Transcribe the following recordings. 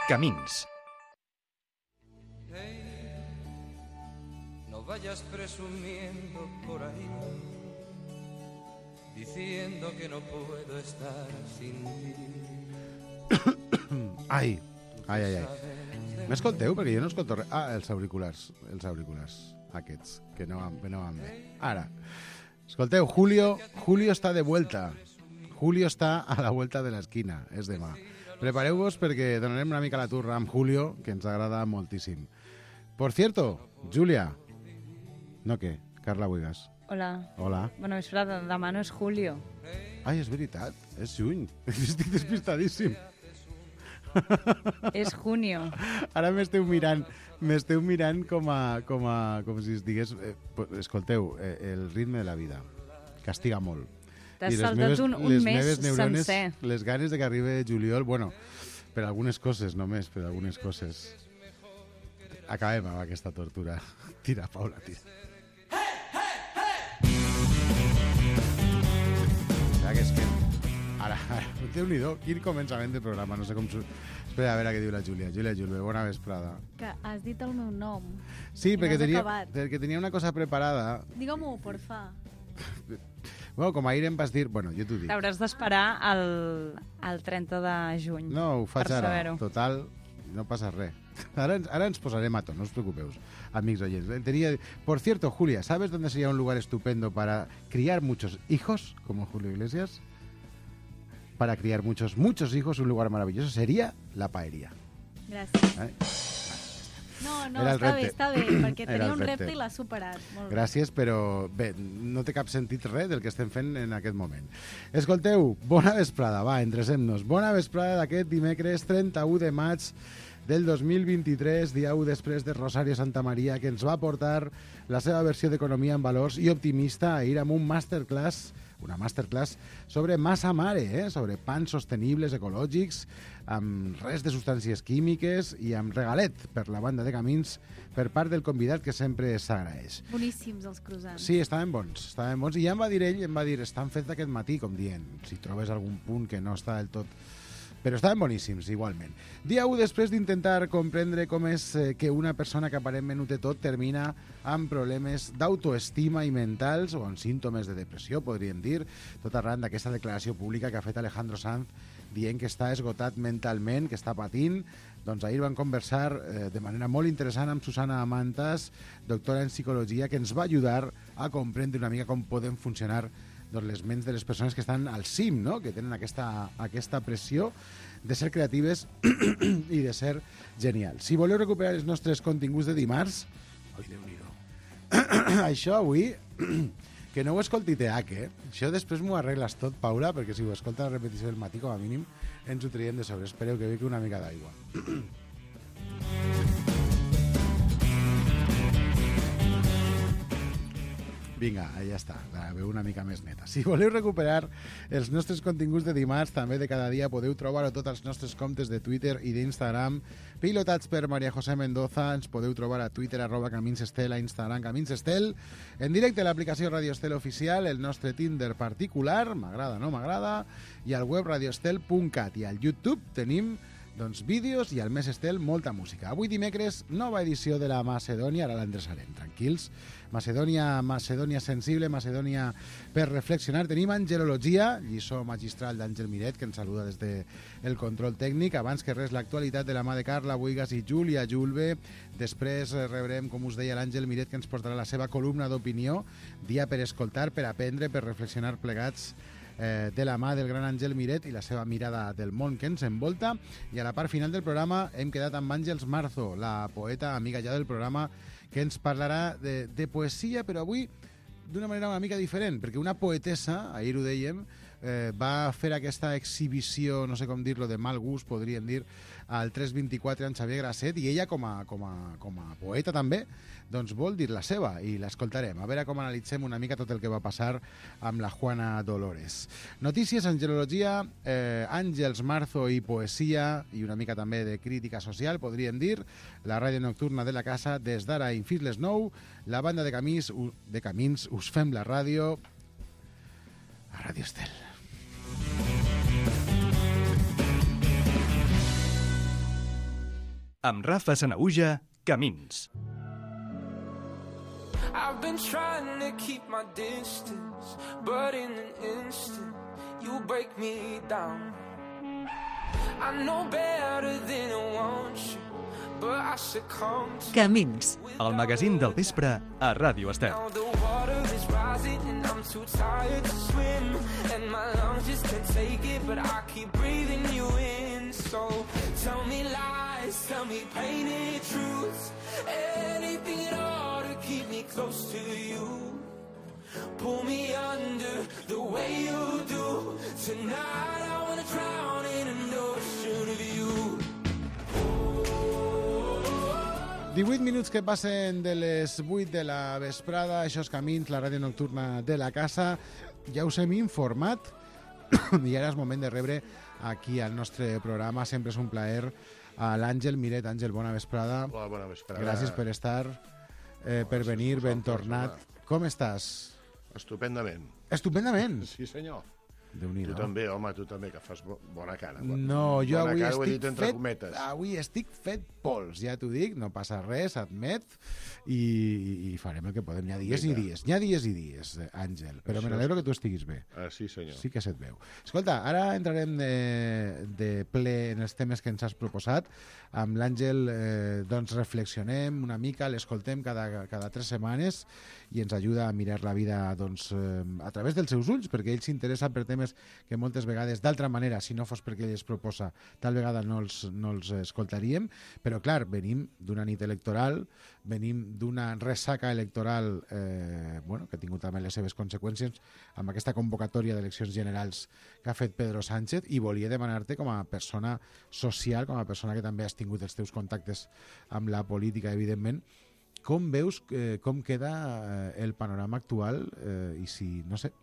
Camins. No vayas presumiendo por ahí, diciendo que no puedo estar sin ti. Ai. M'escolteu? Perquè jo no escolto res. Ah, els auriculars aquests, que no van bé. Ara, escolteu, Julio està de vuelta. Julio està a la vuelta de l'esquina, és demà. Prepareu-vos perquè donarem una mica la turra amb Julio, que ens agrada moltíssim. Por cierto, Júlia. No, què? Carla Buigas. Hola. Hola. Bona vesprada, demà no és Julio. Ai, és veritat, és juny. Estic despistadíssim. És junio. Ara m'esteu mirant com si es digués... escolteu, el ritme de la vida castiga molt. T'has saltat un mes neurones, sencer. Les ganes de que arribi juliol, bueno, per algunes coses només, per algunes coses. Acabem amb aquesta tortura. Tira, Paula, tira. És que ara, Déu-n'hi-do, quin començament de programa, no sé com... Espera, a veure què diu la Júlia. Júlia, bona vesprada. Que has dit el meu nom. Sí, perquè tenia una cosa preparada. Digue-m'ho, porfa. Bueno, com ahir em vas dir... Bueno, jo t'ho dic. T'hauràs d'esperar el 30 de juny. No, ho faig ara. Saber-ho. Total, no passa res. Ara ens posarem a to, no us preocupeu, amics oyentes. Por cierto, Julia, ¿sabes dónde sería un lugar estupendo para criar muchos hijos, como Julio Iglesias? Para criar muchos hijos, un lugar maravilloso sería la paería. Gràcies. No, està bé, perquè tenia un repte i l'ha superat. Molt bé. Gràcies, però bé, no té cap sentit res del que estem fent en aquest moment. Escolteu, bona vesprada, va, endrecem-nos. Bona vesprada d'aquest dimecres 31 de maig del 2023, dia 1 després de Rosario Santa Maria, que ens va portar la seva versió d'Economia en Valors i Optimista a ir amb un masterclass, una masterclass sobre massa mare, sobre pans sostenibles, ecològics, amb res de substàncies químiques i amb regalet per la banda de Camins per part del convidat, que sempre s'agraeix. Boníssims els croissants. Sí, estaven bons. I ja em va dir, estan fets d'aquest matí, com dient, si trobes algun punt que no està del tot... Però estaven boníssims, igualment. Dia 1 després d'intentar comprendre com és que una persona que aparentment ho té tot termina amb problemes d'autoestima i mentals o amb símptomes de depressió, podríem dir, tot arran d'aquesta declaració pública que ha fet Alejandro Sanz dient que està esgotat mentalment, que està patint. Doncs ahir vam conversar de manera molt interessant amb Susana Amantas, doctora en psicologia, que ens va ajudar a comprendre una mica com poden funcionar les ments de les persones que estan al cim, no? Que tenen aquesta pressió de ser creatives i de ser genials. Si voleu recuperar els nostres continguts de dimarts... Ai, Déu-n'hi-do. Això avui... Que no ho escolti TH, Això després m'ho arregles tot, Paula, perquè si ho escolta la repetició del matí, com a mínim, ens ho traiem de sobre. Espereu que bequi una mica d'aigua. Vinga, ja està, la veu una mica més neta. Si voleu recuperar els nostres continguts de dimarts, també de cada dia, podeu trobar-ho tots els nostres comptes de Twitter i d'Instagram, pilotats per María José Mendoza. Ens podeu trobar a Twitter, @CaminsEstel, a Instagram, CaminsEstel, en directe a l'aplicació Radio Estel Oficial, el nostre Tinder particular, m'agrada, no m'agrada, i al web radioestel.cat. I al YouTube tenim vídeos i al Més Estel molta música. Avui dimecres, nova edició de la Macedònia, ara l'endreçarem, tranquils. Macedònia sensible, Macedònia per reflexionar. Tenim Angelologia, lliçó magistral d'Àngel Miret, que ens saluda des del control tècnic. Abans que res, l'actualitat de la mà de Carla Buigas i Júlia Julve. Després rebrem, com us deia, l'Àngel Miret, que ens portarà la seva columna d'opinió, dia per escoltar, per aprendre, per reflexionar plegats, de la mà del gran Àngel Miret i la seva mirada del món que ens envolta. I a la part final del programa hem quedat amb Àngels Marzo, la poeta amiga ja del programa, que ens parlarà de poesia, però avui d'una manera una mica diferent, perquè una poetessa, ahir ho dèiem, va fer aquesta exhibició, no sé com dir-lo, de mal gust, podríem dir, al 324 en Xavier Grasset, i ella com a poeta també, doncs vol dir la seva, i l'escoltarem. A veure com analitzem una mica tot el que va passar amb la Juana Dolores. Notícies, angelologia, Àngels Marzo i poesia, i una mica també de crítica social, podríem dir, la ràdio nocturna de la casa, des d'ara i fins les 9, la banda de Camins, us fem la ràdio a Radio Estel. Amb Rafa Sanahuja, Camins. I've been trying to keep my distance, but in an instant, you break me down. I know better than I want you, but I succumb to Camins. El magazín del vespre a Ràdio Estel. now the water is rising and I'm too tired to swim, and my lungs just can't take it, but I keep breathing you in. So tell me lies, tell me painted truths, anything at all to keep me close to you. Pull me under the way you do. Tonight I wanna drown in an ocean of you. 18 minuts que passen de les 8 de la vesprada. Això és Camins, la ràdio nocturna de la casa. Ja us hem informat i ara és moment de rebre aquí al nostre programa. Sempre és un plaer a l'Àngel Miret. Àngel, bona vesprada. Hola, bona vesprada. Gràcies per estar, per venir, ben tornat. Com estàs? Estupendament. Estupendament. Sí, senyor. Déu-n'hi-do. Tu també, home, tu també, que fas bona cara. No, jo bona avui cara, ho he estic dit entre fet, cometes. avui estic fet pols, ja t'ho dic, no passa res, admet, i farem el que podem. N'hi ha dies i dies, n'hi ha dies i dies, Àngel, però me n'alegro que tu estiguis bé. Sí, senyor. Sí que se't veu. Escolta, ara entrarem de ple en els temes que ens has proposat. Amb l'Àngel doncs reflexionem una mica, l'escoltem cada 3 setmanes i ens ajuda a mirar la vida doncs, a través dels seus ulls, perquè ell s'interessa per temes que moltes vegades, d'altra manera, si no fos perquè ell es proposa, tal vegada no els escoltaríem, però clar, venim d'una nit electoral, venim d'una ressaca electoral que ha tingut també les seves conseqüències amb aquesta convocatòria d'eleccions generals que ha fet Pedro Sánchez, i volia demanar-te com a persona social, com a persona que també has tingut els teus contactes amb la política, evidentment, com veus com queda el panorama actual i si, no sé,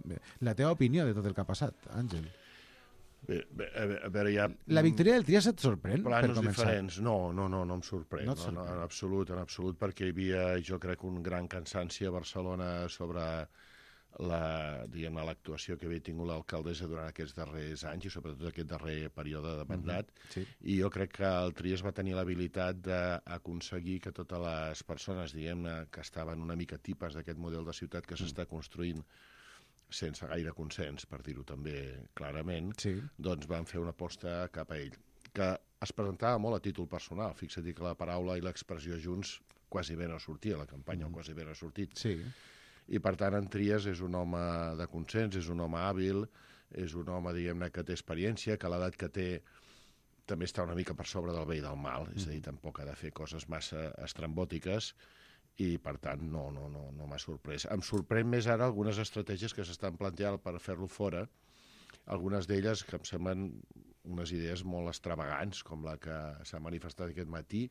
la teva opinió de tot el que ha passat, Àngel? Bé, a veure, ja... La victòria del Trias et sorprèn, per Planos començar? diferents. No em sorprèn. No et sorprèn? En absolut, perquè hi havia, jo crec, un gran cansanci a Barcelona sobre l'actuació que havia tingut l'alcaldessa durant aquests darrers anys i sobretot aquest darrer període de mandat. Sí. I jo crec que el Trias va tenir l'habilitat d'aconseguir que totes les persones, diguem-ne, que estaven una mica tipes d'aquest model de ciutat que s'està construint sense gaire consens, per dir-ho també clarament, Sí. doncs van fer una aposta cap a ell, que es presentava molt a títol personal. Fixa't que la paraula i l'expressió junts quasi bé no sortia a la campanya, o quasi bé no ha sortit. Sí. I per tant en Trias és un home de consens, és un home hàbil, és un home, diguem-ne, que té experiència, que a l'edat que té també està una mica per sobre del bé i del mal, és a dir, tampoc ha de fer coses massa estrambòtiques, i per tant no m'ha sorprès. Em sorprèn més ara algunes estratègies que s'estan plantejant per fer-lo fora, algunes d'elles que em semblen unes idees molt extravagants, com la que s'ha manifestat aquest matí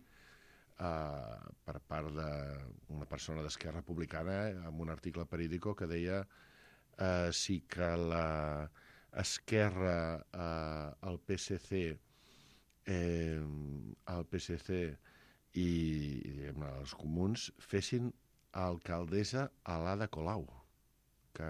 per part d'una persona d'Esquerra Republicana amb un article a Periódico que deia si que l'Esquerra, el PSC i diguem-ne, els comuns fessin alcaldessa a l'Ada Colau, que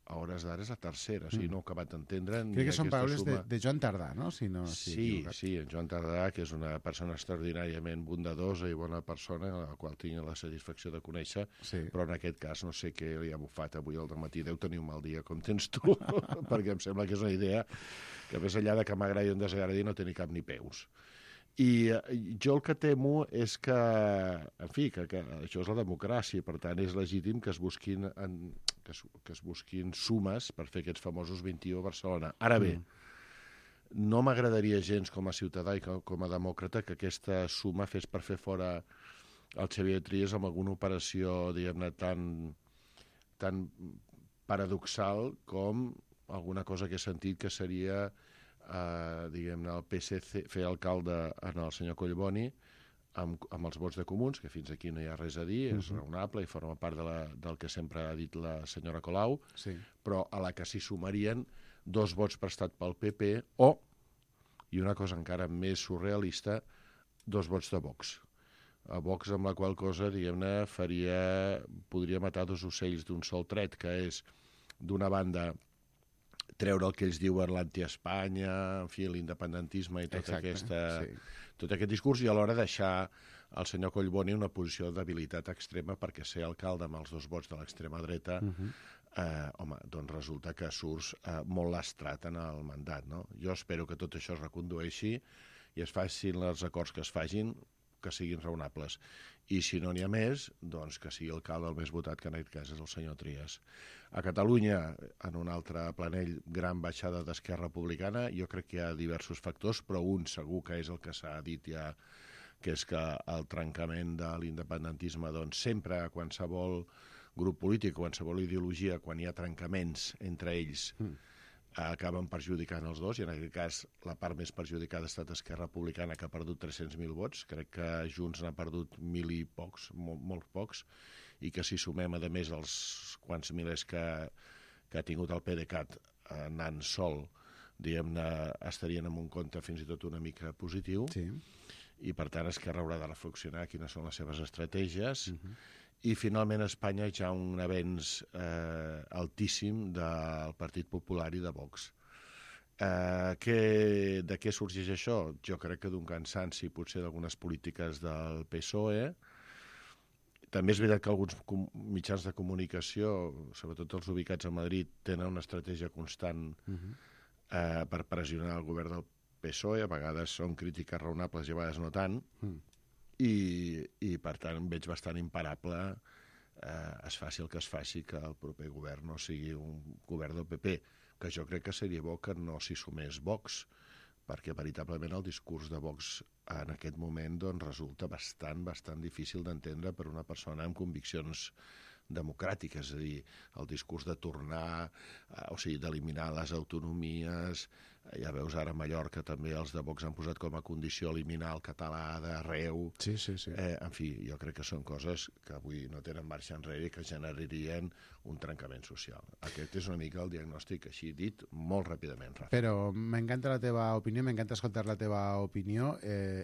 a hores d'ara és la tercera, o sigui, no he acabat d'entendre... Crec que són paraules de Joan Tardà, no? Si no Sí, en Joan Tardà, que és una persona extraordinàriament bondadosa i bona persona, a la qual tinc la satisfacció de conèixer, però en aquest cas no sé què li ha bufat avui al matí. Deu tenir un mal dia, com tens tu, perquè em sembla que és una idea que més enllà de que m'agradi o em desagradi no té ni cap ni peus. I jo el que temo és que, en fi, que això és la democràcia, per tant és legítim que es busquin sumes per fer aquests famosos 21 a Barcelona. Ara bé, no m'agradaria gens com a ciutadà i com a demòcrata que aquesta suma fes per fer fora el Xavier Trias amb alguna operació, diguem-ne, tan paradoxal com alguna cosa que he sentit que seria diguem-ne, el PSC fer alcalde en el senyor Collboni amb els vots de comuns, que fins aquí no hi ha res a dir, és raonable i forma part del que sempre ha dit la senyora Colau, però a la que s'hi sumarien 2 vots prestats pel PP o, i una cosa encara més surrealista, 2 vots de Vox. A Vox, amb la qual cosa, diguem-ne, podria matar 2 ocells d'un sol tret, que és, d'una banda, treure el que ells diuen l'anti-Espanya, en fi, l'independentisme i tot aquest discurs, i alhora deixar al senyor Collboni una posició de debilitat extrema, perquè ser alcalde amb els 2 vots de l'extrema dreta, home, doncs resulta que surts molt lastrat en el mandat, no? Jo espero que tot això es recondueixi i es facin els acords que es facin, que siguin raonables. I si no n'hi ha més, doncs que sigui alcalde el més votat, que en aquest cas és el senyor Trias. A Catalunya, en un altre planell, gran baixada d'Esquerra Republicana. Jo crec que hi ha diversos factors, però un segur que és el que s'ha dit ja, que és que el trencament de l'independentisme, doncs sempre a qualsevol grup polític, qualsevol ideologia, quan hi ha trencaments entre ells, acaben perjudicant els dos, i en aquest cas la part més perjudicada ha estat Esquerra Republicana, que ha perdut 300.000 vots. Crec que Junts n'ha perdut 1.000 i pocs, molt pocs, i que si sumem, a més, els quants milers que ha tingut el PDeCAT anant sol, diguem-ne, estarien en un compte fins i tot una mica positiu, i per tant Esquerra haurà de reflexionar quines són les seves estratègies, i finalment a Espanya hi ha un avenç altíssim del Partit Popular i de Vox. De què sorgeix això? Jo crec que d'un cansanci potser d'algunes polítiques del PSOE. També és veritat que alguns mitjans de comunicació, sobretot els ubicats a Madrid, tenen una estratègia constant per pressionar el govern del PSOE. A vegades són crítiques raonables i a vegades no tant. I per tant veig bastant imparable, es faci el que es faci, que el proper govern no sigui un govern del PP, que jo crec que seria bo que no s'hi sumés Vox, perquè veritablement el discurs de Vox en aquest moment doncs, resulta bastant difícil d'entendre per una persona amb conviccions democràtiques, és a dir, el discurs de tornar, o sigui, d'eliminar les autonomies. Ja veus ara a Mallorca també els de Vox han posat com a condició eliminar el català d'arreu. Sí. En fi, jo crec que són coses que avui no tenen marxa enrere i que generarien un trencament social. Aquest és una mica el diagnòstic així dit molt ràpidament, Rafa. Però m'encanta la teva opinió, m'encanta escoltar la teva opinió.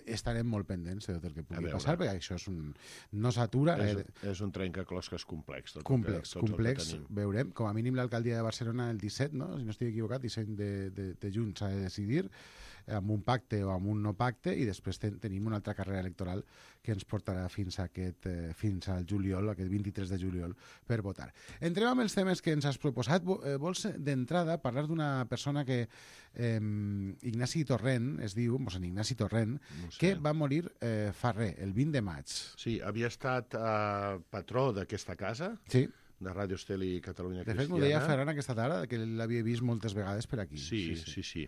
Estarem molt pendents de tot el que pugui passar, perquè això no s'atura. És un trencaclosques complex. Complex, veurem. Com a mínim l'alcaldia de Barcelona el 17, no? Si no estic equivocat, 17 de juny s'ha de decidir amb un pacte o amb un no pacte, i després tenim una altra carrera electoral que ens portarà fins al juliol, aquest 23 de juliol, per votar. Entrem amb els temes que ens has proposat. Vols d'entrada parlar d'una persona que Ignasi Torrent, es diu, mossèn Ignasi Torrent, que va morir fa res, el 20 de maig. Sí, havia estat patró d'aquesta casa, de Ràdio Estel i Catalunya Cristiana. De fet, m'ho deia Ferran aquesta tarda, que l'havia vist moltes vegades per aquí. Sí.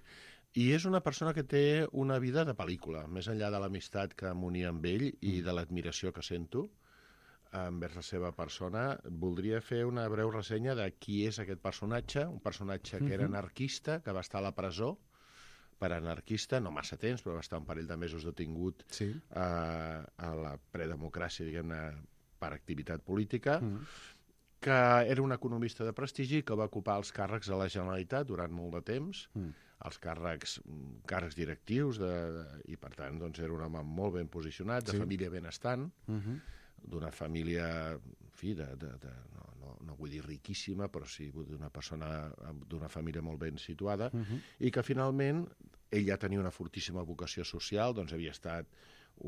I és una persona que té una vida de pel·lícula, més enllà de l'amistat que m'unia amb ell i de l'admiració que sento envers la seva persona. Voldria fer una breu ressenya de qui és aquest personatge, un personatge que era anarquista, que va estar a la presó per anarquista, no massa temps, però va estar un parell de mesos detingut a la predemocràcia, diguem-ne, per activitat política, que era un economista de prestigi que va ocupar els càrrecs de la Generalitat durant molt de temps, els càrrecs directius, i per tant doncs, era un home molt ben posicionat, de família benestant, d'una família, en fi, no vull dir riquíssima, però sí d'una persona d'una família molt ben situada, i que finalment ell ja tenia una fortíssima vocació social, doncs havia estat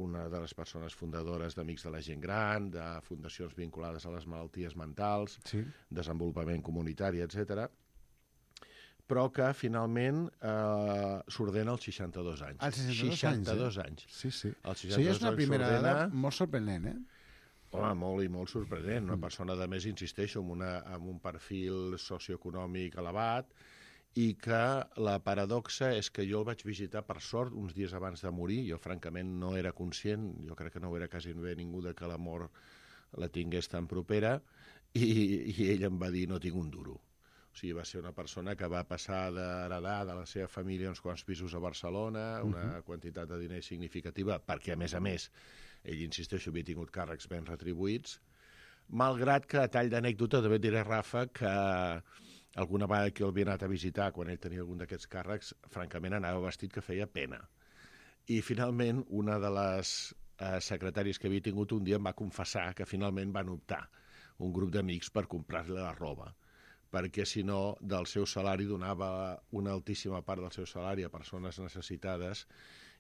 una de les persones fundadores d'Amics de la Gent Gran, de fundacions vinculades a les malalties mentals, desenvolupament comunitari, etc. Però que finalment s'ordena als 62 anys. Als 62 anys? Sí. Això és una primera edat molt sorprenent, Home, molt i molt sorprenent. Una persona, a més, insisteixo, amb un perfil socioeconòmic elevat, i que la paradoxa és que jo el vaig visitar, per sort, uns dies abans de morir. Jo, francament, no era conscient, jo crec que no era quasi bé ningú de que la mort la tingués tan propera, i ell em va dir, no tinc un duro. O sigui, va ser una persona que va passar d'heredar de la seva família uns quants pisos a Barcelona, una quantitat de diners significativa, perquè, a més, ell, insisteixo, havia tingut càrrecs ben retribuïts, malgrat que, a tall d'anècdota, també et diré, Rafa, que alguna vegada que el havia anat a visitar, quan ell tenia algun d'aquests càrrecs, francament anava vestit que feia pena. I finalment, una de les secretàries que havia tingut un dia em va confessar que finalment van optar un grup d'amics per comprar-li la roba, perquè si no del seu salari donava una altíssima part del seu salari a persones necessitades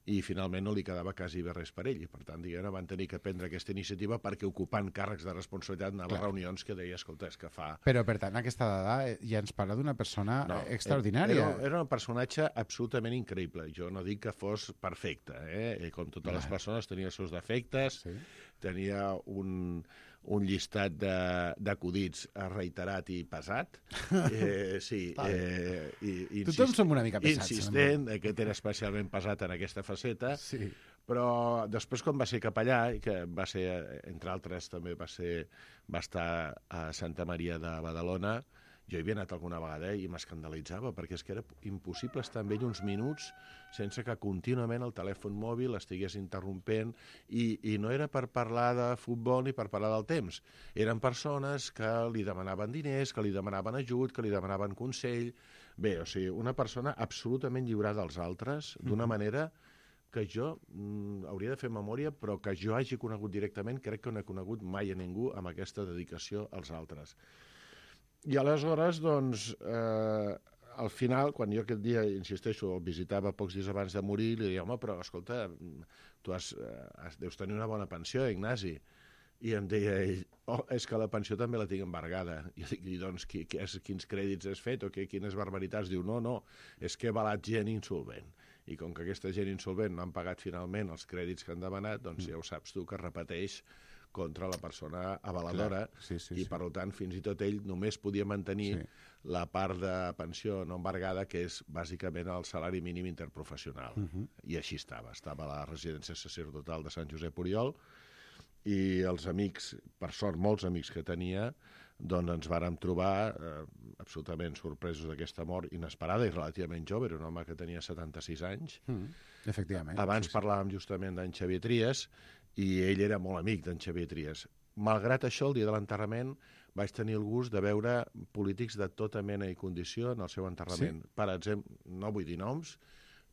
i finalment no li quedava quasi bé res per ell. I per tant, diguem, van tenir que prendre aquesta iniciativa perquè ocupant càrrecs de responsabilitat anava a reunions que deia, escolta, és que fa... Però, per tant, aquesta dada ja ens parla d'una persona extraordinària. Era un personatge absolutament increïble. Jo no dic que fos perfecte, com totes les persones tenia els seus defectes, tenia un llistat d'acudits reiterat i pesat. Tothom som una mica pesats. Insistent, aquest era especialment pesat en aquesta faceta, però després quan va ser capellà, i que va ser, entre altres, també va estar a Santa Maria de Badalona, jo hi havia anat alguna vegada i m'escandalitzava, perquè és que era impossible estar amb ell uns minuts sense que contínuament el telèfon mòbil estigués interrompent, i no era per parlar de futbol ni per parlar del temps. Eren persones que li demanaven diners, que li demanaven ajut, que li demanaven consell. Bé, o sigui, una persona absolutament lliurada als altres, d'una manera que jo hauria de fer memòria, però que jo hagi conegut directament, crec que no he conegut mai a ningú amb aquesta dedicació als altres. I aleshores, doncs, al final, quan jo aquest dia, insisteixo, el visitava pocs dies abans de morir, li deia, home, però escolta, tu deus tenir una bona pensió, Ignasi. I em deia ell, és que la pensió també la tinc embargada. I jo dic, doncs, quins crèdits has fet o quines barbaritats? Diu, no, és que he avalat gent insolvent. I com que aquesta gent insolvent no han pagat finalment els crèdits que han demanat, doncs ja ho saps tu, que repeteix contra la persona avaladora, i per tant fins i tot ell només podia mantenir la part de pensió no embargada, que és bàsicament el salari mínim interprofessional. I així estava a la residència sacerdotal de Sant Josep Oriol, i els amics, per sort molts amics que tenia, doncs ens vàrem trobar absolutament sorpresos d'aquesta mort inesperada i relativament jove, era un home que tenia 76 anys. Efectivament. Abans parlàvem justament d'en Xavier Trias, i ell era molt amic d'en Xavier Trias. Malgrat això, el dia de l'enterrament vaig tenir el gust de veure polítics de tota mena i condició en el seu enterrament. Per exemple, no vull dir noms,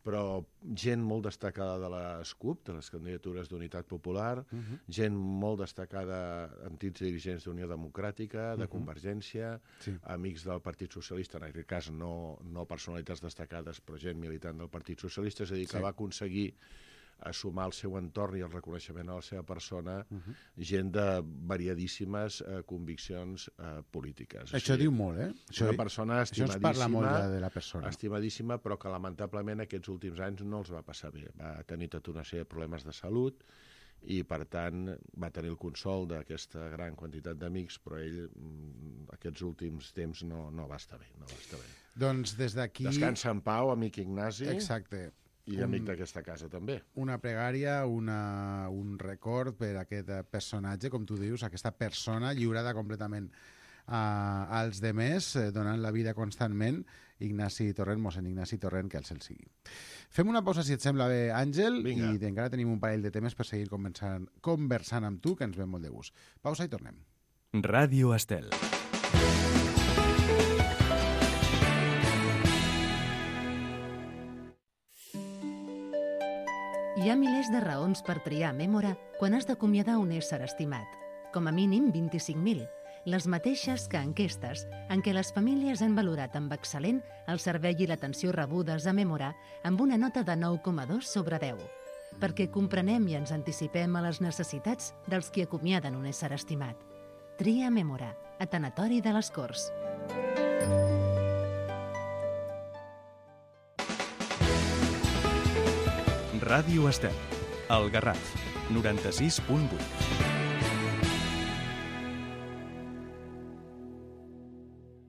però gent molt destacada de les CUP, de les candidatures d'Unitat Popular, gent molt destacada, antics dirigents d'Unió Democràtica, de Convergència, amics del Partit Socialista, en aquest cas no personalitats destacades, però gent militant del Partit Socialista, és a dir, que va aconseguir a sumar al seu entorn i el reconeixement a la seva persona gent de variadíssimes conviccions polítiques. Això diu molt, Una persona estimadíssima, això ens parla molt de la persona. Estimadíssima, però que lamentablement aquests últims anys no els va passar bé. Va tenir tota una sèrie de problemes de salut i, per tant, va tenir el consol d'aquesta gran quantitat d'amics, però ell aquests últims temps no va estar bé. Doncs des d'aquí... Descansa en pau, amic Ignasi. Exacte. I amic d'aquesta casa, també. Una pregària, un record per aquest personatge, com tu dius, aquesta persona lliurada completament als demés, donant la vida constantment, mossèn Ignasi Torrent, que el cel sigui. Fem una pausa, si et sembla bé, Àngel, i encara tenim un parell de temes per seguir conversant amb tu, que ens ve molt de gust. Pausa i tornem. Ràdio Estel. Hi ha milers de raons per triar Mémora quan has d'acomiadar un ésser estimat. Com a mínim 25.000, les mateixes que enquestes en què les famílies han valorat amb excel·lent el servei i l'atenció rebudes a Mémora amb una nota de 9,2 sobre 10, perquè comprenem i ens anticipem a les necessitats dels qui acomiaden un ésser estimat. Tria Mémora, a Tanatori de les Corts. Ràdio Estel, el Garraf, 96.8.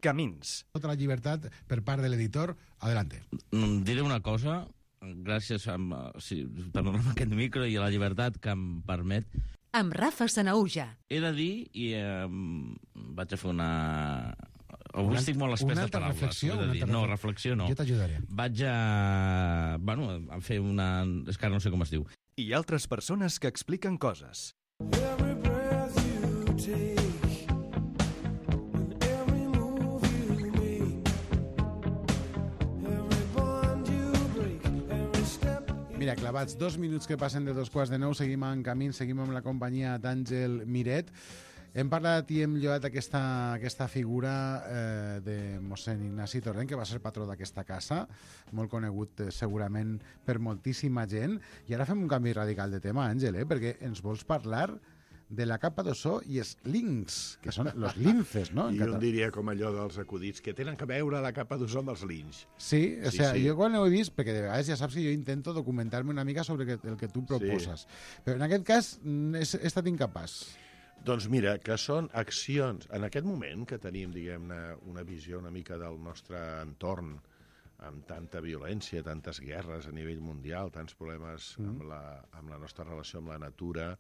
Camins. Tota la llibertat per part de l'editor. Adelante. Diré una cosa, gràcies per donar-me aquest micro i a la llibertat que em permet. Amb Rafa Sanaúja. He de dir, i vaig a fer una... Avui estic molt espès de paraules. Reflexió? No, reflexió no. Jo t'ajudaré. Vaig a fer una... És que ara no sé com es diu. I altres persones que expliquen coses. Every breath you take, and every move you make, every bond you break, every step... Mira, clavats 2 minuts que passen de 2:15, seguim en camí, seguim amb la companyia d'Àngel Miret, Hem parlat i hem lloat aquesta figura de mossèn Ignasi Torrent, que va ser patró d'aquesta casa, molt conegut segurament per moltíssima gent. I ara fem un canvi radical de tema, Àngel, perquè ens vols parlar de la capa d'ozó i els links, que són els linces, no? I jo diria com allò dels acudits, que tenen que veure la capa d'ozó amb els links. Sí, o sigui, jo quan ho he vist, perquè de vegades ja saps que jo intento documentar-me una mica sobre el que tu proposes, però en aquest cas he estat incapaç. Doncs mira, que són accions, en aquest moment que tenim, diguem-ne, una visió una mica del nostre entorn, amb tanta violència, tantes guerres a nivell mundial, tants problemes amb la nostra relació amb la natura,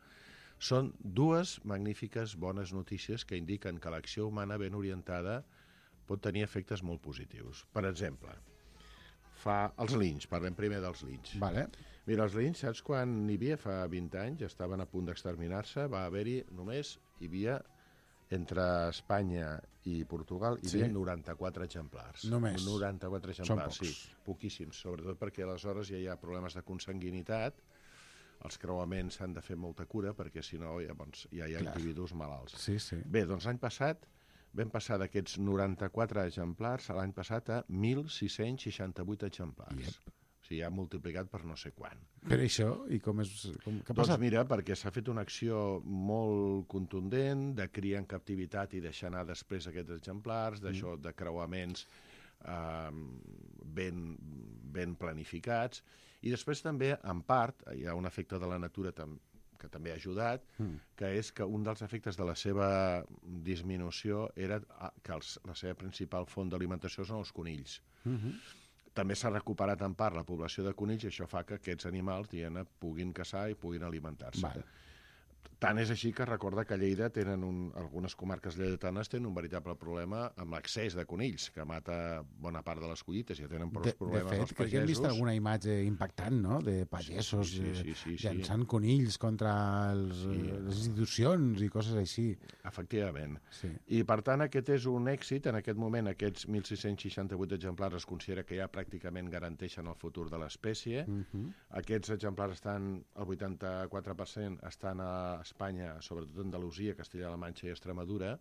són dues magnífiques bones notícies que indiquen que l'acció humana ben orientada pot tenir efectes molt positius. Per exemple, els linxs, parlem primer dels linxs. Vale. Mira, els linxs, saps quan n'hi havia fa 20 anys, estaven a punt d'exterminar-se, va haver-hi només, hi havia entre Espanya i Portugal, hi havia 94 exemplars. Només? 94 exemplars, Són pocs. sí, poquíssims, sobretot perquè aleshores ja hi ha problemes de consanguinitat, els creuaments s'han de fer molta cura perquè si no llavors ja hi ha individus malalts. Sí, sí. Bé, doncs l'any passat vam passar d'aquests 94 exemplars a l'any passat a 1.668 exemplars. O sigui, ja multiplicat per no sé quan. Per això, i què ha passat? Doncs mira, perquè s'ha fet una acció molt contundent de criar en captivitat i deixar anar després aquests exemplars, d'això de creuaments ben planificats, i després també, en part, hi ha un efecte de la natura que també ha ajudat, que és que un dels efectes de la seva disminució era que la seva principal font d'alimentació són els conills. També s'ha recuperat en part la població de conills i això fa que aquests animals puguin caçar i puguin alimentar-se. Tant és així que recorda que a Lleida algunes comarques lleidatanes tenen un veritable problema amb l'excés de conills, que mata bona part de les collites, ja tenen prou problemes els pagesos. De fet, hem vist alguna imatge impactant, no?, de pagesos llançant conills contra les institucions i coses així. Efectivament. I, per tant, aquest és un èxit. En aquest moment, aquests 1.668 exemplars es considera que ja pràcticament garanteixen el futur de l'espècie. Aquests exemplars estan, el 84% estan a Espanya, sobretot Andalusia, Castella-La Manxa i Extremadura.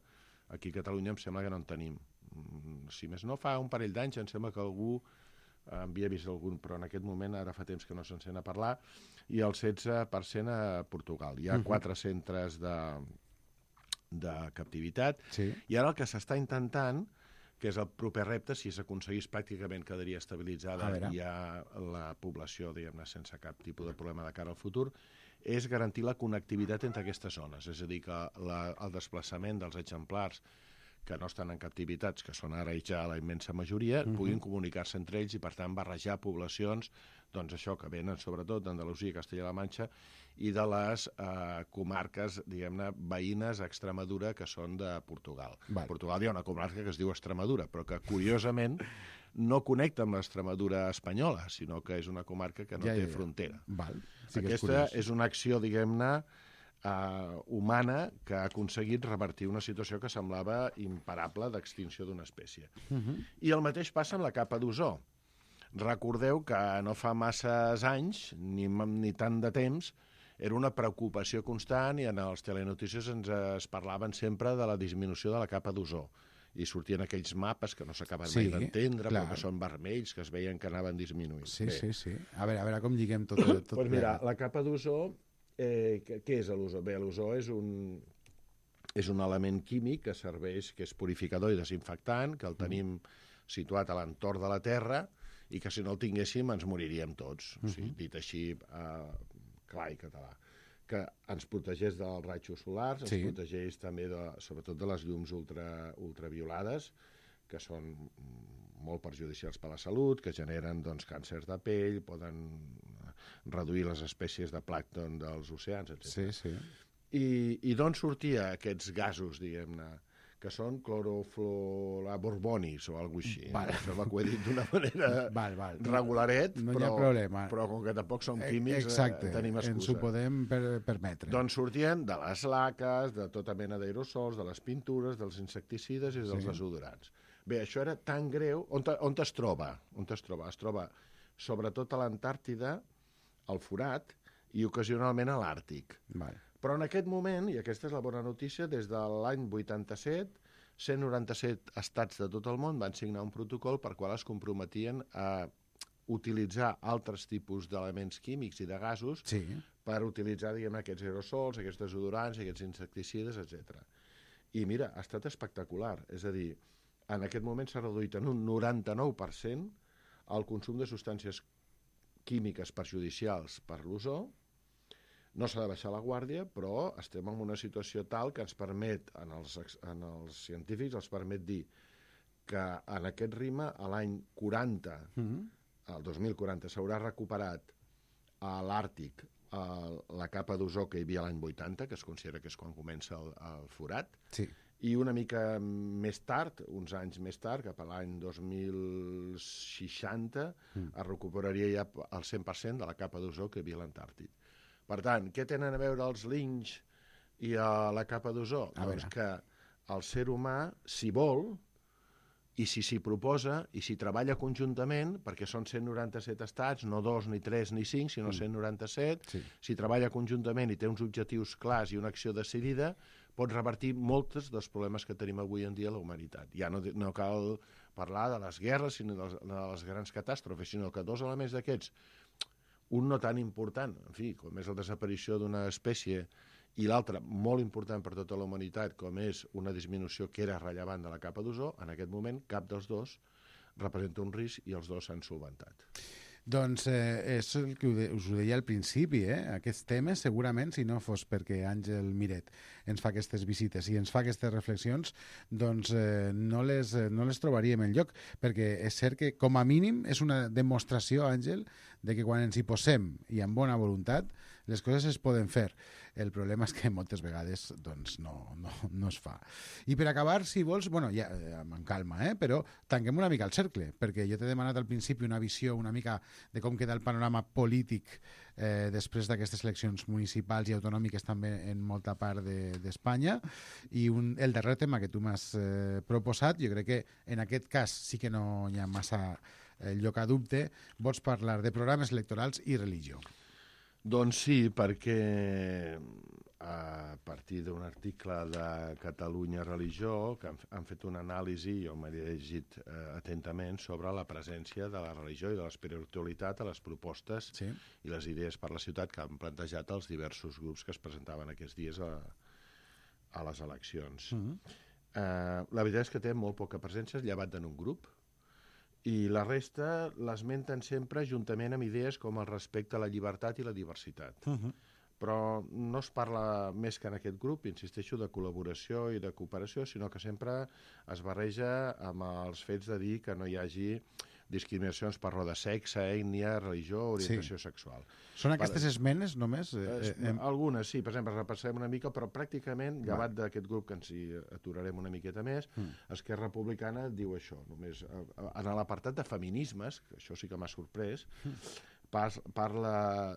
Aquí a Catalunya em sembla que no en tenim. Si més no, fa un parell d'anys em sembla que algú havia vist algun, però en aquest moment ara fa temps que no se'n sent a parlar, i el 16% a Portugal. Hi ha 4 centres de captivitat, i ara el que s'està intentant, que és el proper repte, si s'aconseguís pràcticament quedaria estabilitzada i hi ha la població, diguem-ne, sense cap tipus de problema de cara al futur, és garantir la connectivitat entre aquestes zones, és a dir, que el desplaçament dels exemplars que no estan en captivitats, que són ara ja la immensa majoria, puguin comunicar-se entre ells i, per tant, barrejar poblacions, doncs això, que venen sobretot d'Andalusia i Castella-La Manxa i de les comarques, diguem-ne, veïnes a Extremadura, que són de Portugal. A Portugal hi ha una comarca que es diu Extremadura, però que, curiosament, no connecta amb l'Extremadura espanyola, sinó que és una comarca que no té frontera. Aquesta és una acció, diguem-ne, humana que ha aconseguit revertir una situació que semblava imparable d'extinció d'una espècie. I el mateix passa amb la capa d'ozó. Recordeu que no fa masses anys, ni tant de temps, era una preocupació constant i en els telenotícies es parlaven sempre de la disminució de la capa d'ozó. I sortien aquells mapes que no s'acaben mai d'entendre, però que són vermells, que es veien que anaven disminuint. Sí. A veure com lliguem tot. Doncs mira, la capa d'ozó, què és l'ozó? Bé, l'ozó és un element químic que serveix, que és purificador i desinfectant, que el tenim situat a l'entorn de la Terra i que si no el tinguéssim ens moriríem tots. O sigui, dit així, clar i català. Que ens protegeix dels rajos solars, ens protegeix també, sobretot, de les llums ultraviolades, que són molt perjudicials per a la salut, que generen càncer de pell, poden reduir les espècies de plàncton dels oceans, etc. I d'on sortia aquests gasos, diguem-ne, que són clorofluoroborbonis o alguna cosa així. Sembla que ho he dit d'una manera regularet, però com que tampoc som químics, tenim excusa. Ens ho podem permetre. Doncs sortien de les laques, de tota mena d'aerosols, de les pintures, dels insecticides i dels desodorants. Bé, això era tan greu. On es troba? Es troba sobretot a l'Antàrtida, al forat, i ocasionalment a l'Àrtic. Vale. Però en aquest moment, i aquesta és la bona notícia, des de l'any 87, 197 estats de tot el món van signar un protocol per qual es comprometien a utilitzar altres tipus d'elements químics i de gasos per utilitzar, diguem, aquests aerosols, aquests desodorants, aquests insecticides, etc. I mira, ha estat espectacular. És a dir, en aquest moment s'ha reduït en un 99% el consum de substàncies químiques perjudicials per l'ozó. No s'ha de baixar la guàrdia, però estem en una situació tal que ens permet, als científics, els permet dir que en aquest ritme, a l'any 40, el 2040, s'haurà recuperat a l'Àrtic la capa d'ozó que hi havia l'any 80, que es considera que és quan comença el forat, i una mica més tard, uns anys més tard, cap a l'any 2060, es recuperaria ja el 100% de la capa d'ozó que hi havia a l'Antàrtic. Per tant, què tenen a veure els linxs i la capa d'ozó? Doncs que el ser humà, si vol, i si s'hi proposa, i si treballa conjuntament, perquè són 197 estats, no 2, ni 3, ni 5, sinó 197, si treballa conjuntament i té uns objectius clars i una acció decidida, pot revertir molts dels problemes que tenim avui en dia a la humanitat. Ja no cal parlar de les guerres, sinó de les grans catàstrofes, sinó que dos elements d'aquests, un no tan important, en fi, com és la desaparició d'una espècie, i l'altre, molt important per tota la humanitat, com és una disminució que era rellevant de la capa d'ozó, en aquest moment cap dels dos representa un risc i els dos s'han solventat. Doncs és el que us ho deia al principi, aquests temes segurament, si no fos perquè Àngel Miret ens fa aquestes visites i ens fa aquestes reflexions, doncs no les trobaríem enlloc, perquè és cert que com a mínim és una demostració, Àngel, de que quan ens hi posem i amb bona voluntat les coses es poden fer. El problema és que moltes vegades doncs, no es fa. I per acabar, si vols, bueno, ja amb calma, però tanquem una mica el cercle, perquè jo t'he demanat al principi una visió una mica de com queda el panorama polític després d'aquestes eleccions municipals i autonòmiques també en molta part d'Espanya, i el darrer tema que tu m'has proposat, jo crec que en aquest cas sí que no hi ha massa lloc a dubte, vols parlar de programes electorals i religió. Doncs sí, perquè a partir d'un article de Catalunya Religió, que han fet una anàlisi, jo m'he llegit atentament, sobre la presència de la religió i de l'espiritualitat a les propostes i les idees per la ciutat que han plantejat els diversos grups que es presentaven aquests dies a les eleccions. La veritat és que té molt poca presència, llevat en un grup, i la resta l'esmenten sempre juntament amb idees com el respecte a la llibertat i la diversitat. Però no es parla més que en aquest grup, insisteixo, de col·laboració i de cooperació, sinó que sempre es barreja amb els fets de dir que no hi hagi discriminacions per raó de sexe, ètnia, religió o orientació sexual. Són aquestes esmenes només? Algunes, sí. Per exemple, repassem una mica, però pràcticament, llevat d'aquest grup que ens hi aturarem una miqueta més, Esquerra Republicana diu això. Només en l'apartat de feminismes, que això sí que m'ha sorprès, parla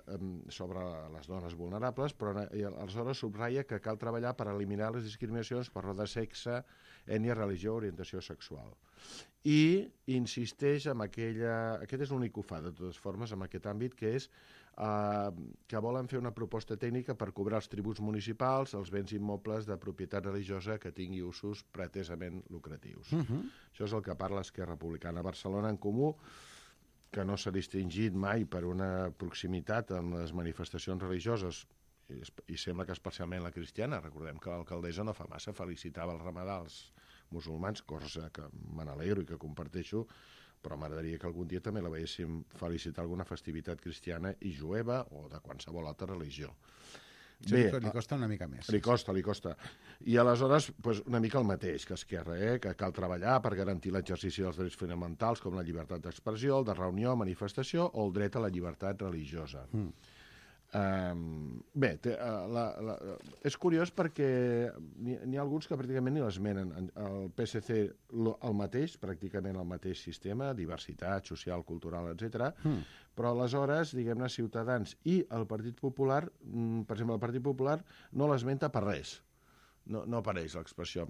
sobre les dones vulnerables, però aleshores subratlla que cal treballar per eliminar les discriminacions per raó de sexe, ètnia, religió o orientació sexual. I insisteix en aquest és l'únic que ho fa, de totes formes, en aquest àmbit, que és que volen fer una proposta tècnica per cobrar els tributs municipals, els béns immobles de propietat religiosa que tingui usos pretesament lucratius. Això és el que parla Esquerra Republicana. Barcelona en Comú, que no s'ha distingit mai per una proximitat amb les manifestacions religioses, i sembla que especialment la cristiana. Recordem que l'alcaldessa no fa massa felicitava el ramadà als musulmans, cosa que me n'alegro i que comparteixo, però m'agradaria que algun dia també la veiéssim felicitar alguna festivitat cristiana i jueva o de qualsevol altra religió. Bé, li costa una mica més. Li costa. I aleshores, una mica el mateix que Esquerra, que cal treballar per garantir l'exercici dels drets fonamentals com la llibertat d'expressió, el de reunió, manifestació o el dret a la llibertat religiosa. Bé, és curiós perquè n'hi ha alguns que pràcticament ni l'esmenen. El PSC el mateix, pràcticament el mateix sistema, diversitat social, cultural, etc. Però aleshores, diguem-ne, Ciutadans i el Partit Popular, per exemple, el Partit Popular no l'esmenta per res. No apareix l'expressió.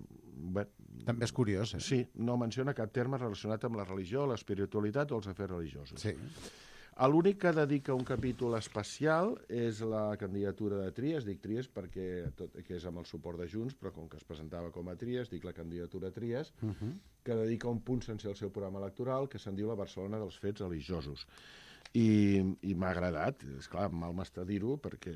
També és curiós, Sí, no menciona cap terme relacionat amb la religió, l'espiritualitat o els afers religiosos. Sí. L'únic que dedica un capítol especial és la candidatura de Trias, dic Trias perquè que és amb el suport de Junts, però com que es presentava com a Trias, dic la candidatura Trias, que dedica un punt sencer al seu programa electoral, que se'n diu la Barcelona dels fets religiosos. I m'ha agradat, esclar, mal m'està dir-ho, perquè,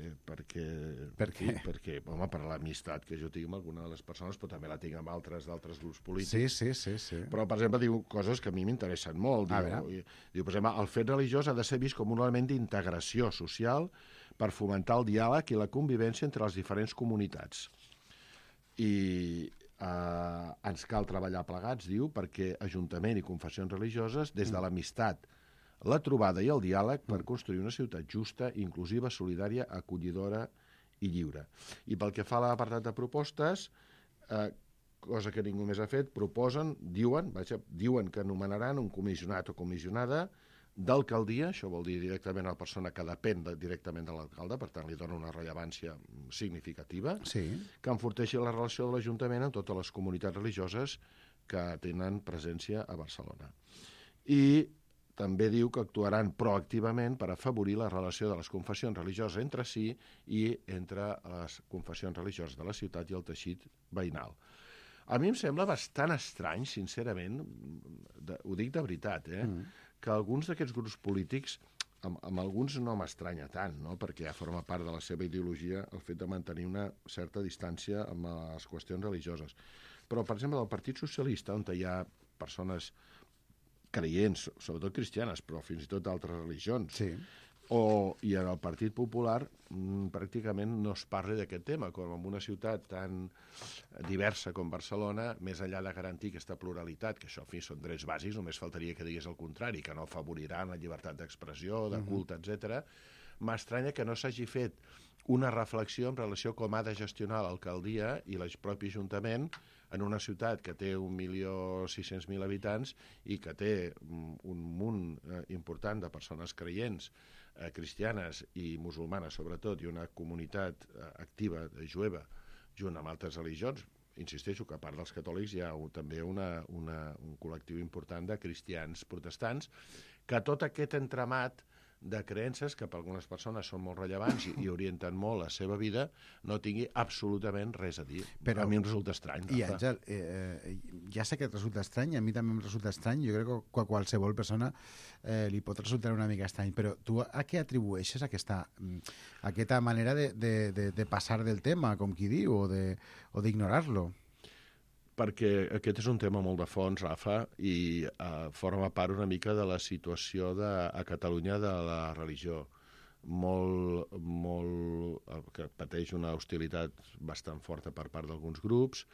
home, per l'amistat que jo tinc amb alguna de les persones, però també la tinc amb d'altres grups polítics. Sí. Però, per exemple, diu coses que a mi m'interessen molt. Diu, per exemple, el fet religiós ha de ser vist com un element d'integració social per fomentar el diàleg i la convivència entre les diferents comunitats. I ens cal treballar plegats, diu, perquè Ajuntament i confessions religioses, des de l'amistat, la trobada i el diàleg per construir una ciutat justa, inclusiva, solidària, acollidora i lliure. I pel que fa a l'apartat de propostes, cosa que ningú més ha fet, diuen que nomenaran un comissionat o comissionada d'alcaldia, això vol dir directament a la persona que depèn directament de l'alcalde, per tant li dona una rellevància significativa, que enforteixi la relació de l'Ajuntament amb totes les comunitats religioses que tenen presència a Barcelona. I també diu que actuaran proactivament per afavorir la relació de les confessions religioses entre si i entre les confessions religioses de la ciutat i el teixit veïnal. A mi em sembla bastant estrany, sincerament, ho dic de veritat, que alguns d'aquests grups polítics, amb alguns no m'estranya tant, no? Perquè ja forma part de la seva ideologia el fet de mantenir una certa distància amb les qüestions religioses. Però, per exemple, del Partit Socialista, on hi ha persones creients, sobretot cristianes, però fins i tot d'altres religions, i en el Partit Popular pràcticament no es parla d'aquest tema, com en una ciutat tan diversa com Barcelona, més enllà de garantir aquesta pluralitat, que això, en fi, són drets bàsics, només faltaria que digués el contrari, que no afavoriran la llibertat d'expressió, de culte, etc. M'estranya que no s'hagi fet una reflexió en relació a com ha de gestionar l'alcaldia i el propi Ajuntament en una ciutat que té 1.600.000 habitants i que té un munt important de persones creients, cristianes i musulmanes sobretot, i una comunitat activa jueva, junt amb altres religions. Insisteixo que a part dels catòlics hi ha també un col·lectiu important de cristians protestants, que tot aquest entramat de creences que per algunes persones són molt rellevants i orienten molt la seva vida, no tingui absolutament res a dir. Però a mi em resulta estrany. I, Àngel, ja sé que et resulta estrany, a mi també em resulta estrany, jo crec que a qualsevol persona li pot resultar una mica estrany, però tu a què atribueixes aquesta manera de passar del tema, com qui diu, o d'ignorar-lo? Perquè aquest és un tema molt de fons, Rafa, i forma part una mica de la situació a Catalunya de la religió. Que pateix una hostilitat bastant forta per part d'alguns grups,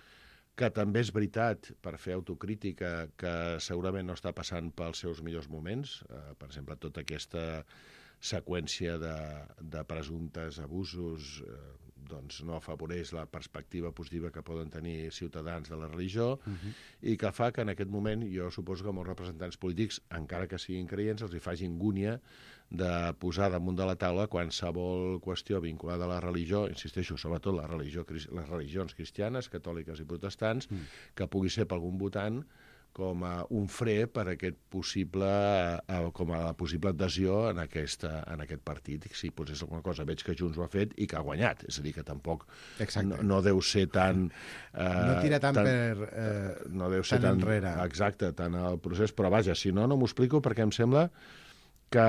que també és veritat, per fer autocrítica, que segurament no està passant pels seus millors moments. Per exemple, tota aquesta seqüència de presumptes abusos doncs no afavoreix la perspectiva positiva que poden tenir ciutadans de la religió i que fa que en aquest moment jo suposo que molts representants polítics, encara que siguin creients, els hi faci angúnia de posar damunt de la taula qualsevol qüestió vinculada a la religió, insisteixo, sobretot les religions cristianes, catòliques i protestants, que pugui ser per algun votant com a un fre per aquest possible adhesió en aquest partit. Si posés alguna cosa, veig que Junts ho ha fet i que ha guanyat. És a dir, que tampoc no deu ser tan... no tira tant tan enrere. Exacte, tant el procés. Però vaja, si no m'ho explico perquè em sembla que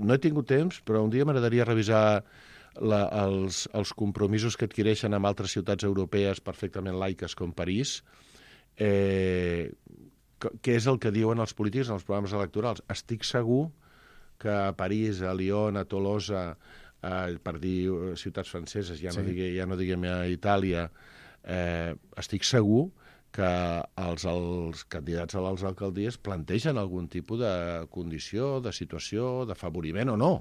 no he tingut temps, però un dia m'agradaria revisar els compromisos que adquireixen amb altres ciutats europees perfectament laiques com París, què és el que diuen els polítics en els programes electorals. Estic segur que a París, a Lyon, a Tolosa, per dir ciutats franceses, ja no diguem a Itàlia, estic segur que els candidats a les alcaldies plantegen algun tipus de condició, de situació, d'afavoriment o no.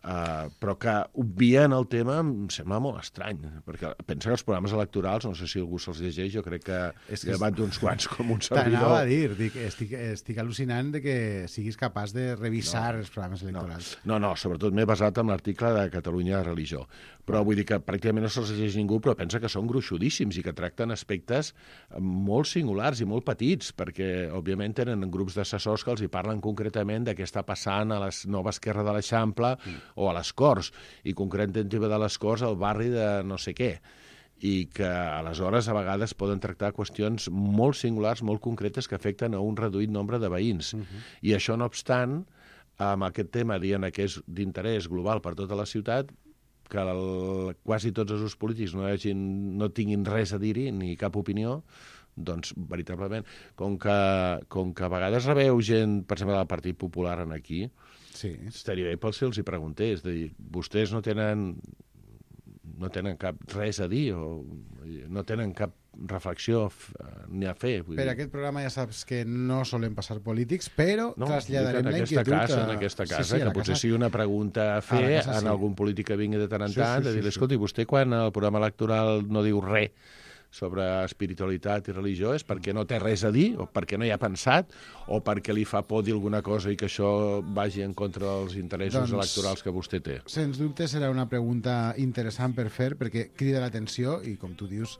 però que obvien el tema em sembla molt estrany, perquè pensa que els programes electorals, no sé si algú se'ls llegeix, jo crec que llevat d'uns quants com un servidor... T'anava a dir, estic al·lucinant de que siguis capaç de revisar els programes electorals. No, sobretot m'he basat en l'article de Catalunya Religió, però vull dir que pràcticament no se'ls llegeix ningú, però pensa que són gruixudíssims i que tracten aspectes molt singulars i molt petits, perquè, òbviament, tenen grups d'assessors que els hi parlen concretament de què està passant a la nova esquerra de l'Eixample o a les Corts, i concretament de les Corts al barri de no sé què, i que aleshores a vegades poden tractar qüestions molt singulars, molt concretes, que afecten a un reduït nombre de veïns. I això, no obstant, amb aquest tema, dient que és d'interès global per tota la ciutat, que quasi tots els grups polítics no tinguin res a dir-hi, ni cap opinió, doncs, veritablement, com que a vegades rebeu gent, per exemple, del Partit Popular aquí, sí, estaria bé si els hi preguntés, és a dir, vostès no tenen cap res a dir, o no tenen cap reflexió ni a fer. Per aquest programa ja saps que no solen passar polítics, però traslladarem la inquietud en aquesta casa, que potser sigui una pregunta a fer en algun polític que vingui de tant en tant, de dir, escolti, vostè quan el programa electoral no diu res sobre espiritualitat i religió és perquè no té res a dir, o perquè no hi ha pensat, o perquè li fa por dir alguna cosa i que això vagi en contra dels interessos electorals que vostè té. Sens dubte serà una pregunta interessant per fer, perquè crida l'atenció i, com tu dius,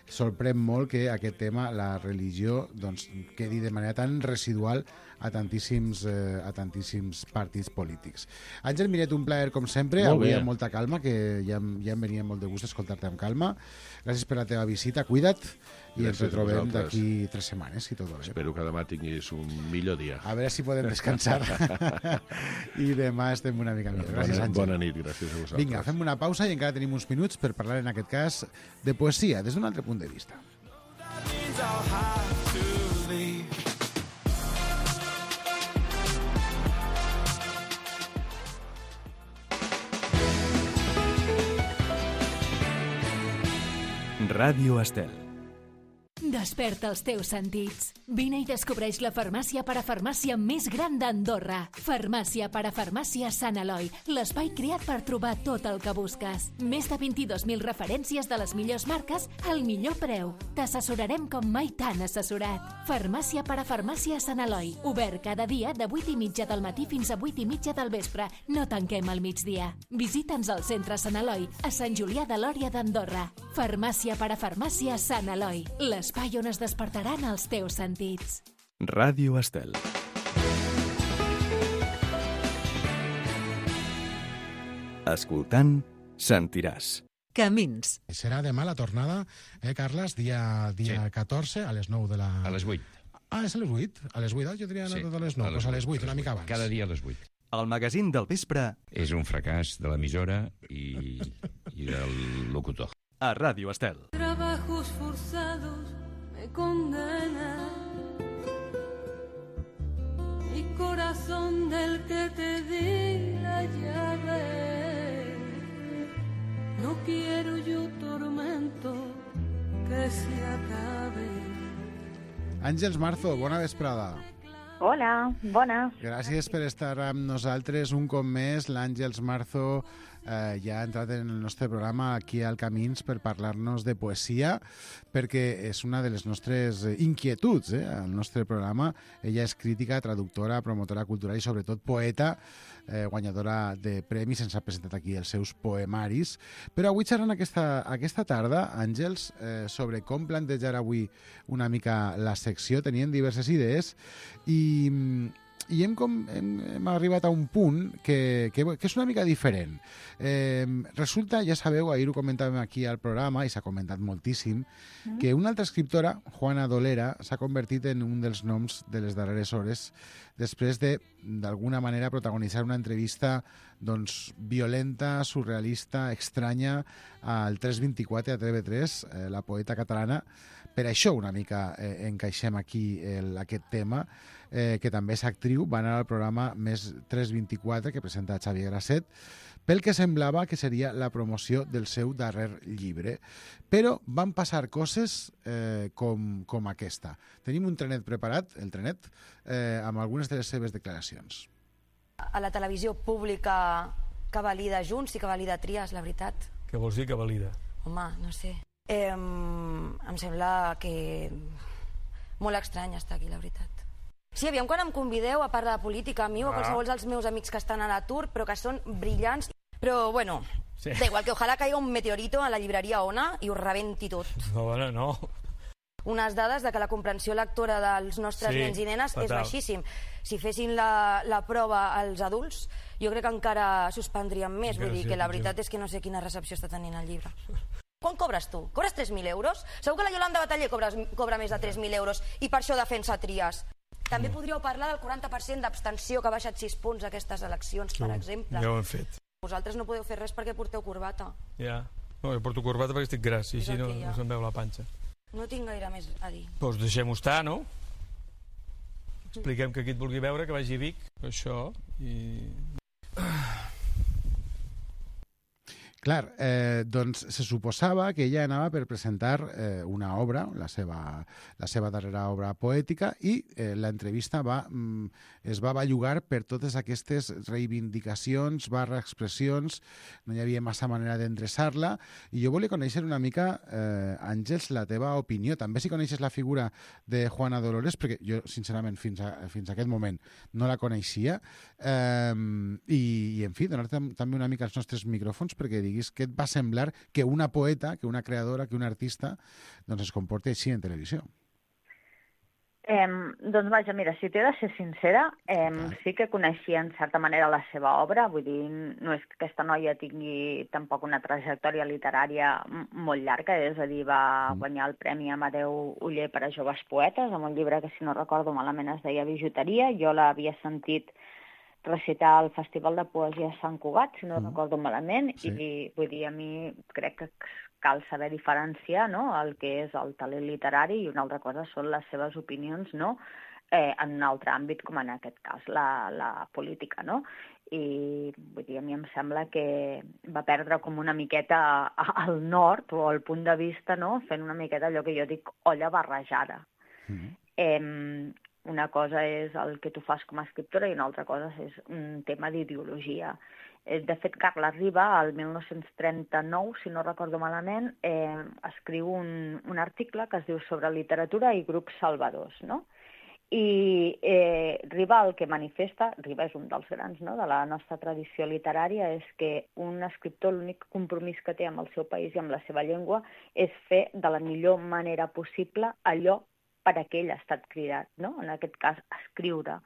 sorprèn molt que aquest tema, la religió, doncs, quedi de manera tan residual a tantíssims partits polítics. Àngel Miret, un plaer com sempre, avui amb molta calma, que ja em venia molt de gust escoltar-te amb calma. Gràcies per la teva visita, cuida't, i ens retrobem d'aquí 3 setmanes, si tot va bé. Espero que demà tinguis un millor dia. A veure si podem descansar. I demà estem una mica millor. Gràcies, Àngel. Bona nit, gràcies a vosaltres. Vinga, fem una pausa i encara tenim uns minuts per parlar, en aquest cas, de poesia, des d'un altre punt de vista. Ràdio Estel. Desperta els teus sentits. Vine i descobreix la farmàcia parafarmàcia més gran d'Andorra. Farmàcia parafarmàcia Sant Eloi, l'espai creat per trobar tot el que busques. Més de 22.000 referències de les millors marques al millor preu. T'assessorarem com mai t'han assessorat. Farmàcia parafarmàcia Sant Eloi, obert cada dia de 8:30 del matí fins a 8:30 del vespre. No tanquem al migdia. Visita'ns al centre Sant Eloi, a Sant Julià de Lòria d'Andorra. Farmàcia parafarmàcia Sant Eloi, l'espai on es despertaran els teus sentits. Ràdio Estel. Escoltant, sentiràs. Camins. Serà demà la tornada, Carles, dia 14, a les 9 de la... A les 8. Ah, és a les 8? A les 8, jo tenia anat a les 9, doncs a les 8, una mica abans. Cada dia a les 8. El magazín del vespre... És un fracàs de l'emissora i del locutor. A Ràdio Estel. Trabajos forzados me condenan. Mi corazón del que te di la llave. No quiero yo tormento que se acabe. Àngels Marzo, bona vesprada. Hola, bona. Gràcies per estar amb nosaltres un cop més. L'Àngels Marzo ja ha entrat en el nostre programa aquí al Camins per parlar-nos de poesia, perquè és una de les nostres inquietuds al nostre programa. Ella és crítica, traductora, promotora cultural i sobretot poeta, guanyadora de premis. Ens ha presentat aquí els seus poemaris. Però avui xerrant aquesta tarda, Àngels, sobre com plantejar avui una mica la secció. Teníem diverses idees i hem arribat a un punt que és una mica diferent. Resulta, ja sabeu, ahir ho comentàvem aquí al programa, i s'ha comentat moltíssim, que una altra escriptora, Juana Dolera, s'ha convertit en un dels noms de les darreres hores, després d'alguna manera, protagonitzar una entrevista violenta, surrealista, estranya, al 324 a TV3, la poeta catalana. Per això una mica encaixem aquí aquest tema, que també és actriu, va anar al programa Més 324, que presenta Xavier Grasset, pel que semblava que seria la promoció del seu darrer llibre. Però van passar coses com aquesta. Tenim un trenet preparat, el trenet, amb algunes de les seves declaracions. A la televisió pública que valida Junts i que valida Trias, la veritat. Què vols dir que valida? Home, no sé. Em sembla que molt estrany estar aquí, la veritat. Sí, aviam quan em convideu a parlar de política a mi o a qualsevol dels meus amics que estan a l'atur, però que són brillants. Però, bueno, da igual, que ojalà caiga un meteorito a la llibreria Ona i ho rebenti tot. No, no. Unes dades de que la comprensió lectora dels nostres nens i nenes és baixíssim. Si fessin la prova als adults, jo crec que encara suspendríem més. Vull dir que la veritat és que no sé quina recepció està tenint el llibre. Quan cobres tu? Cobres 3.000 euros? Segur que la Yolanda Bataller cobra més de 3.000 euros i per això defensa Trias. També podríeu parlar del 40% d'abstenció que ha baixat 6 punts aquestes eleccions, per exemple. Ja ho hem fet. Vosaltres no podeu fer res perquè porteu corbata. Ja. No, jo porto corbata perquè estic gras i així no se'm veu la panxa. No tinc gaire més a dir. Doncs deixem-ho estar, no? Expliquem que qui et vulgui veure, que vagi a Vic, això, i... Clar, doncs se suposava que ella anava per presentar una obra, la seva darrera obra poètica, i l'entrevista es va bellugar per totes aquestes reivindicacions, expressions, no hi havia massa manera d'endreçar-la, i jo volia conèixer una mica, Àngels, la teva opinió. També si coneixes la figura de Juana Dolores, perquè jo, sincerament, fins a aquest moment no la coneixia, i en fi, donar-te també una mica els nostres micròfons perquè diguis què et va semblar que una poeta, que una creadora, que un artista doncs es comporti així en televisió. Doncs vaja, mira, si t'he de ser sincera, sí que coneixia en certa manera la seva obra, vull dir, no és que aquesta noia tingui tampoc una trajectòria literària molt llarga, és a dir, va guanyar el Premi Amadeu Oller per a joves poetes, amb un llibre que, si no recordo malament, es deia Bijuteria. Jo l'havia sentit recitar al Festival de Poesia Sant Cugat, si no recordo malament, i vull dir, a mi crec que cal saber diferenciar, no?, el que és el talent literari i una altra cosa són les seves opinions, no?, en un altre àmbit, com en aquest cas la política, no? I vull dir, a mi em sembla que va perdre com una miqueta el nord o el punt de vista, no?, fent una miqueta allò que jo dic olla barrejada. Una cosa és el que tu fas com a escriptora i una altra cosa és un tema d'ideologia. De fet, Carla Riba, el 1939, si no recordo malament, escriu un article que es diu sobre literatura i grups salvadors, no? I Riba el que manifesta, Riba és un dels grans, no?, de la nostra tradició literària, és que un escriptor l'únic compromís que té amb el seu país i amb la seva llengua és fer de la millor manera possible allò per a què ell ha estat cridat, no? En aquest cas, escriure.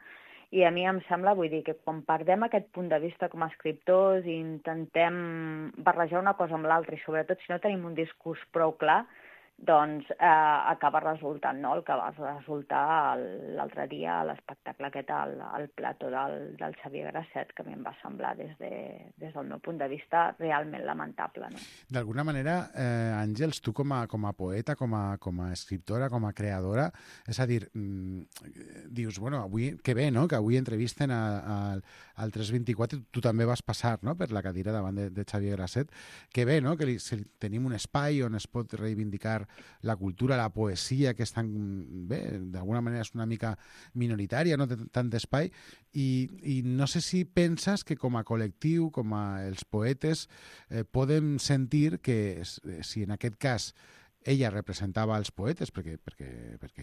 I a mi em sembla, vull dir, que quan perdem aquest punt de vista com a escriptors i intentem barrejar una cosa amb l'altra, i sobretot si no tenim un discurs prou clar, doncs acaba resultant, no?, el que va resultar l'altre dia a l'espectacle aquest al plató del Xavier Grasset, que a mi em va semblar des del meu punt de vista realment lamentable, no? D'alguna manera, Àngels, tu com a poeta, com a escriptora, com a creadora, és a dir, dius, bueno, avui, que bé, no?, que avui entrevisten al 324, tu també vas passar, no?, per la cadira davant de Xavier Grasset, que bé, no?, que tenim un espai on es pot reivindicar la cultura, la poesia, que estan bé, d'alguna manera és una mica minoritària, no té tant d'espai, i no sé si penses que com a col·lectiu, com a els poetes, podem sentir que si en aquest cas ella representava els poetes perquè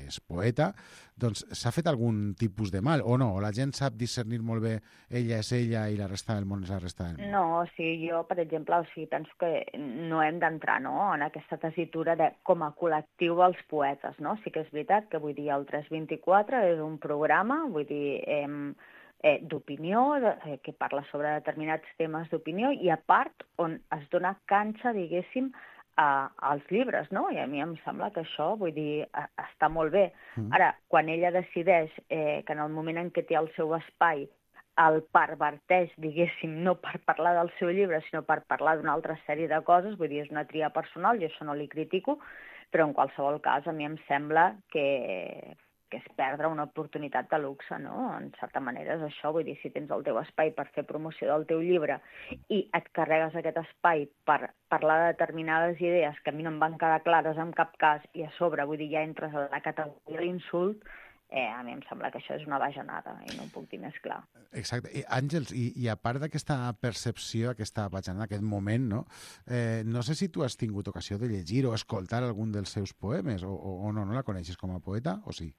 és poeta, doncs s'ha fet algun tipus de mal, o no? O la gent sap discernir molt bé ella és ella i la resta del món és la resta del món? No, o sigui, jo, per exemple, penso que no hem d'entrar, no?, en aquesta tessitura de com a col·lectiu dels poetes, no? Sí que és veritat que, vull dir, el 324 és un programa, vull dir, d'opinió, que parla sobre determinats temes d'opinió, i a part on es dona canxa, diguéssim, als llibres, no? I a mi em sembla que això, vull dir, està molt bé. Ara, quan ella decideix que en el moment en què té el seu espai el perverteix, diguéssim, no per parlar del seu llibre, sinó per parlar d'una altra sèrie de coses, vull dir, és una tria personal, jo això no li critico, però en qualsevol cas a mi em sembla que és perdre una oportunitat de luxe, no? En certa manera és això, vull dir, si tens el teu espai per fer promoció del teu llibre i et carregues aquest espai per parlar de determinades idees que a mi no em van quedar clares en cap cas i a sobre, vull dir, ja entres a la categoria d'insult, a mi em sembla que això és una bajanada i no ho puc dir més clar. Exacte. Àngels, i a part d'aquesta percepció, aquesta bajanada, aquest moment, no? No sé si tu has tingut ocasió de llegir o escoltar algun dels seus poemes, o no la coneixes com a poeta, o sí?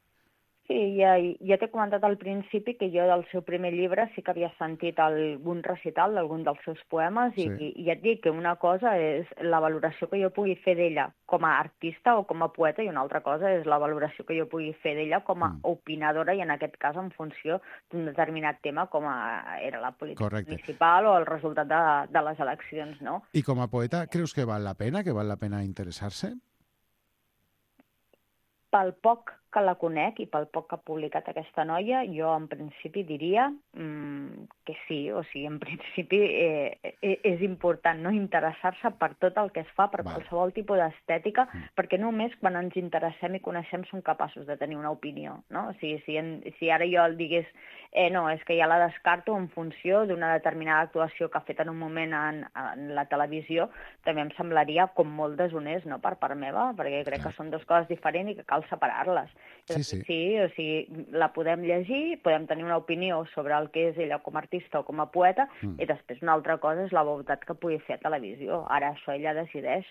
Sí, ja t'he comentat al principi que jo del seu primer llibre sí que havia sentit algun recital d'algun dels seus poemes i ja et dic que una cosa és la valoració que jo pugui fer d'ella com a artista o com a poeta i una altra cosa és la valoració que jo pugui fer d'ella com a opinadora i en aquest cas en funció d'un determinat tema com era la política municipal o el resultat de les eleccions, no? I com a poeta creus que val la pena interessar-se? Pel poc que la conec i pel poc que ha publicat aquesta noia, jo en principi diria que sí, o sigui, en principi és important no interessar-se per tot el que es fa, per qualsevol tipus d'estètica, perquè només quan ens interessem i coneixem som capaços de tenir una opinió, no? O sigui, si ara jo el digués no, és que ja la descarto en funció d'una determinada actuació que ha fet en un moment en la televisió, també em semblaria com molt deshonest, no?, per part meva, perquè crec que són dues coses diferents i que cal separar-les. Sí, o sigui, la podem llegir, podem tenir una opinió sobre el que és ella com a artista o com a poeta, i després una altra cosa és la voluntat que pugui fer a televisió. Ara això ella decideix,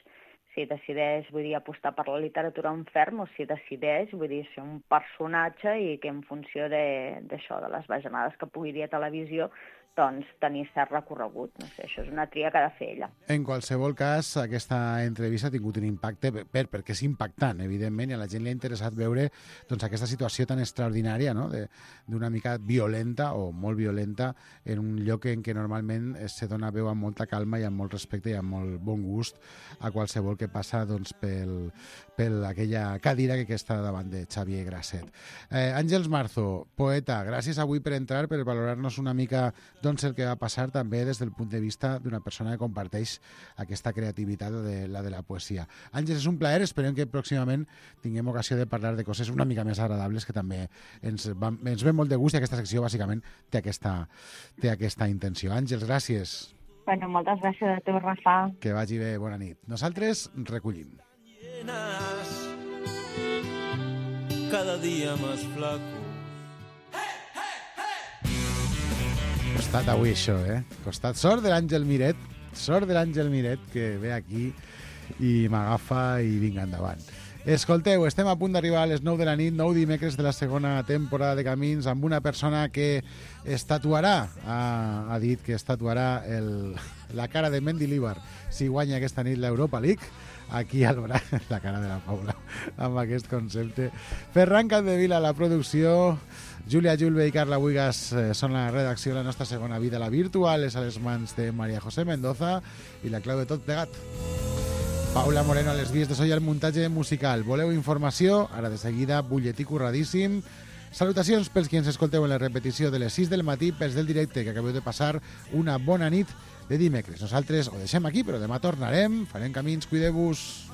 si decideix, vull dir, apostar per la literatura en ferm, o si decideix, vull dir, ser un personatge i que en funció d'això, de les bajanades que pugui dir a televisió, doncs tenir cert recorregut. No sé, això és una tria que ha de fer ella. En qualsevol cas, aquesta entrevista ha tingut un impacte perquè és impactant, evidentment, i a la gent li ha interessat veure doncs, aquesta situació tan extraordinària, no?, d'una mica violenta o molt violenta en un lloc en què normalment se dona veu amb molta calma i amb molt respecte i amb molt bon gust a qualsevol que passa doncs, per aquella cadira que està davant de Xavier Grasset. Àngels Marzo, poeta, gràcies avui per entrar, per valorar-nos una mica doncs el que va passar també des del punt de vista d'una persona que comparteix aquesta creativitat, la de la poesia. Àngels, és un plaer, esperem que pròximament tinguem ocasió de parlar de coses una mica més agradables que també ens ve molt de gust i aquesta secció bàsicament té aquesta intenció. Àngels, gràcies. Bueno, moltes gràcies a tu, Rafa. Que vagi bé, bona nit. Nosaltres recollim. Cada día más flaco. Costat avui això, Costat. Sort de l'Àngel Miret, que ve aquí i m'agafa i vinga endavant. Escolteu, estem a punt d'arribar a les 9 de la nit, 9 dimecres de la segona temporada de Camins, amb una persona que es tatuarà, ha dit que es tatuarà la cara de Mendilibar si guanya aquesta nit l'Europa League, aquí al braç, la cara de la Paula, amb aquest concepte. Ferran Capdevila a la producció, Júlia Julve i Carla Buigas són la redacció de la nostra segona vida, la virtual, és a les mans de María José Mendoza i la clau de tot plegat. Paula Moreno a les vies de so i el muntatge musical. Voleu informació? Ara de seguida, butlletí curradíssim. Salutacions pels qui ens escolteu en la repetició de les 6 del matí, pels del directe que acabeu de passar una bona nit de dimecres. Nosaltres ho deixem aquí, però demà tornarem, farem camins, cuideu-vos.